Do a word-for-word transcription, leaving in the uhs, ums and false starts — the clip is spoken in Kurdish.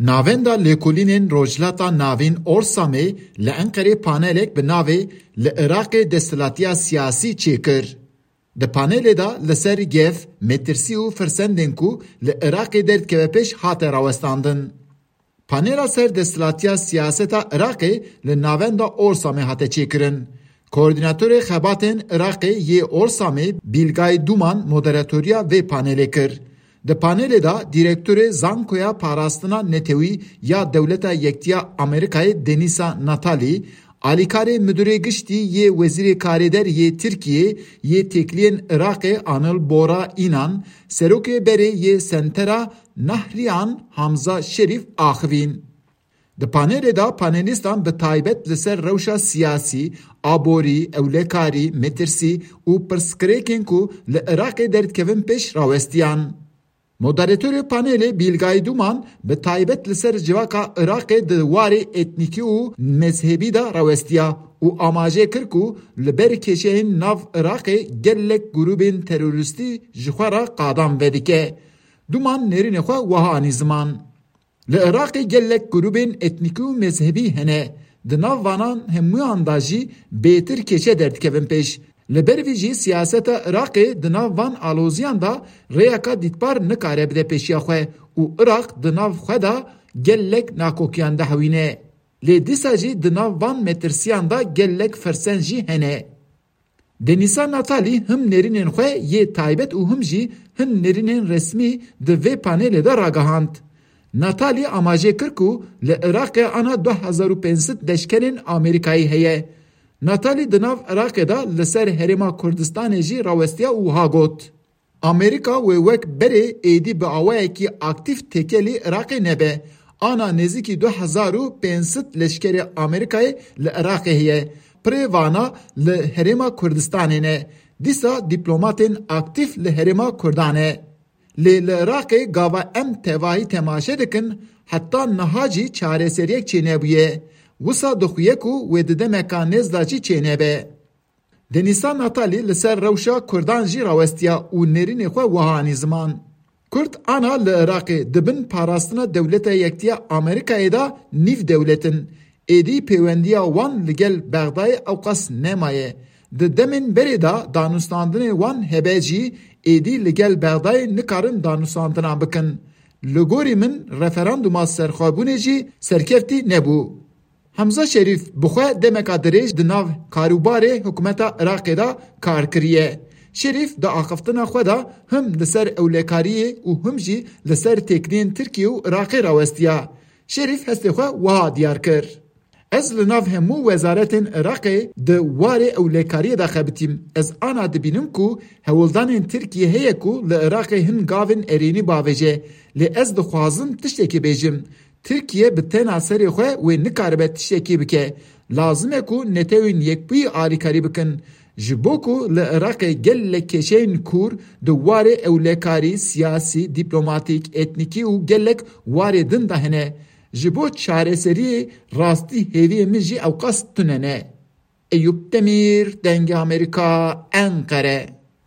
Navenda Lêkolînên Rojhilata Navîn Orsamê li Enqerê panelek bi navê Li Iraqê Desthilatiya Siyasî çêkir. Di panelê de li ser gef, metirsî û firsendên ku li Iraqê derdikeve pêş hate rawestandin. Panela ser desthilatiya siyaseta Iraqê li Navenda Orsamê hate çêkirin. Koordînatorê Xebatên Iraqê yê Orsamê Bîlgay Duman moderatoriya vê panelê kir. Di panelê de dîrektorê Zankoya Parastina Netewî ya Dewleta Yektiya Amerîkayê Denisa Natali, alîkarê Midurê Giştî yê Wezîrê Karêder yê Tirkiyê yê Têkiliyên Iraqê Anil Bora Înan, Serokê Berê yê Sentera Nahriyan Hamza Şerîf axivîn. Di panelê de panelîstan bi taybet li ser rewşa siyasî, aborî, ewlekarî, metirsî û pirsgirêkên ku li Iraqê derdikevin pêş rawestiyan. Moderatorê panelê Bîlgay Duman bi taybet li ser civaka Iraqê di warê etnîkî û mezhebî de rawestiya û amaje kir ku li ber kêşeyên nav Iraqê gelek grûbên terorîstî ji xwe re qadan vedike. Duman nêrînê xwe wiha anî ziman. Li Iraqê gelek grûbên etnîkî û mezhebî hene. Di nav vanan hemûyan de jî bêtir kêşe derdikevin pêş. Li ber vî jî siyaseta Iraqê di nav van aloziyan de rêyeka dîtbar nikare bide pêşiya xwe û Iraq di nav xwe de gelek nakokiyan dihewîne. Lê dîsa jî di nav van metirsiyan de gelek firsen jî hene. Denisa Natali him nêrînên xwe yê taybet û him jî hin nêrînên resmî di vê panelê de ragihand. Natali amaje kir ku li Iraqê ana du hezar û pênc sed leşkerên Amerîkayî heye. Natali di nav Iraqê de li ser Herêma Kurdistanê jî rawestiya û wiha got, Amerîka wê wek berê êdî bi awayekî aktîf têkelî Iraqê nebe. Ana nêzîkî du hezar û pênc sed leşkerê Amerîkayê li Iraqê heye. Pirê vana li Herêma Kurdistanê ne. Dîsa dîplomatên aktîf li Herêma Kurdan e. Lê li Iraqê gava em tevahî temaşe dikin, heta niha jî çareseriyek çênebûye. Wisa dixuye ku wê di demeka nêz de jî çênebe. Denisa Natali li ser rewşa Kurdan jî rawestiya û nêrînê xwe wiha anî ziman. Kurd ana li Iraqê di bin parastina Dewleta Yektiya Amerîkayê de nîv dewlet in. Êdî pêwendiya wan li gel Bexdayê ewqas nemaye. Di demên berê de danûstandinê wan hebe jî êdî li gel Bexdayê nikarin danûstandinan bikin. Li gorî min referandûma serxwebûnê jî serkeftî nebû. Hemza Şerîf bi xwe demeka dirêj di nav karûbarê hikûmeta Iraqê de kar kiriye. Şerîf di axiftina xwe de him li ser ewlekariyê û him jî li ser têkiliyên Tirkiye û Iraqê rawestiya. Şerîf hestê xwe wiha diyar kir, Ez li nav hemû wezaretên Iraqê di warê ewlekariyê de xebitîm. Ez ana dibînim ku hewldanên Tirkiye heye ku li Iraqê hin gavên erênî bavêje. Lê ez dixwazim tiştekî bêjim. Tirkiye bi tena serê xwe wê nikaribe tiştekî bike. Lazim e ku Netewên Yekbûyî alîkarî bikin. Ji bo ku li Iraqê gelek kêşeyên kûr di warê ewlekarî, siyasî, dîplomatîk, etnîkî û gelek warê din de hene. Ji bo çareseriyê rastî hêviyê min jî ewqas tune ne. Eyûp Demîr, Dengê Amerîka, Enqere.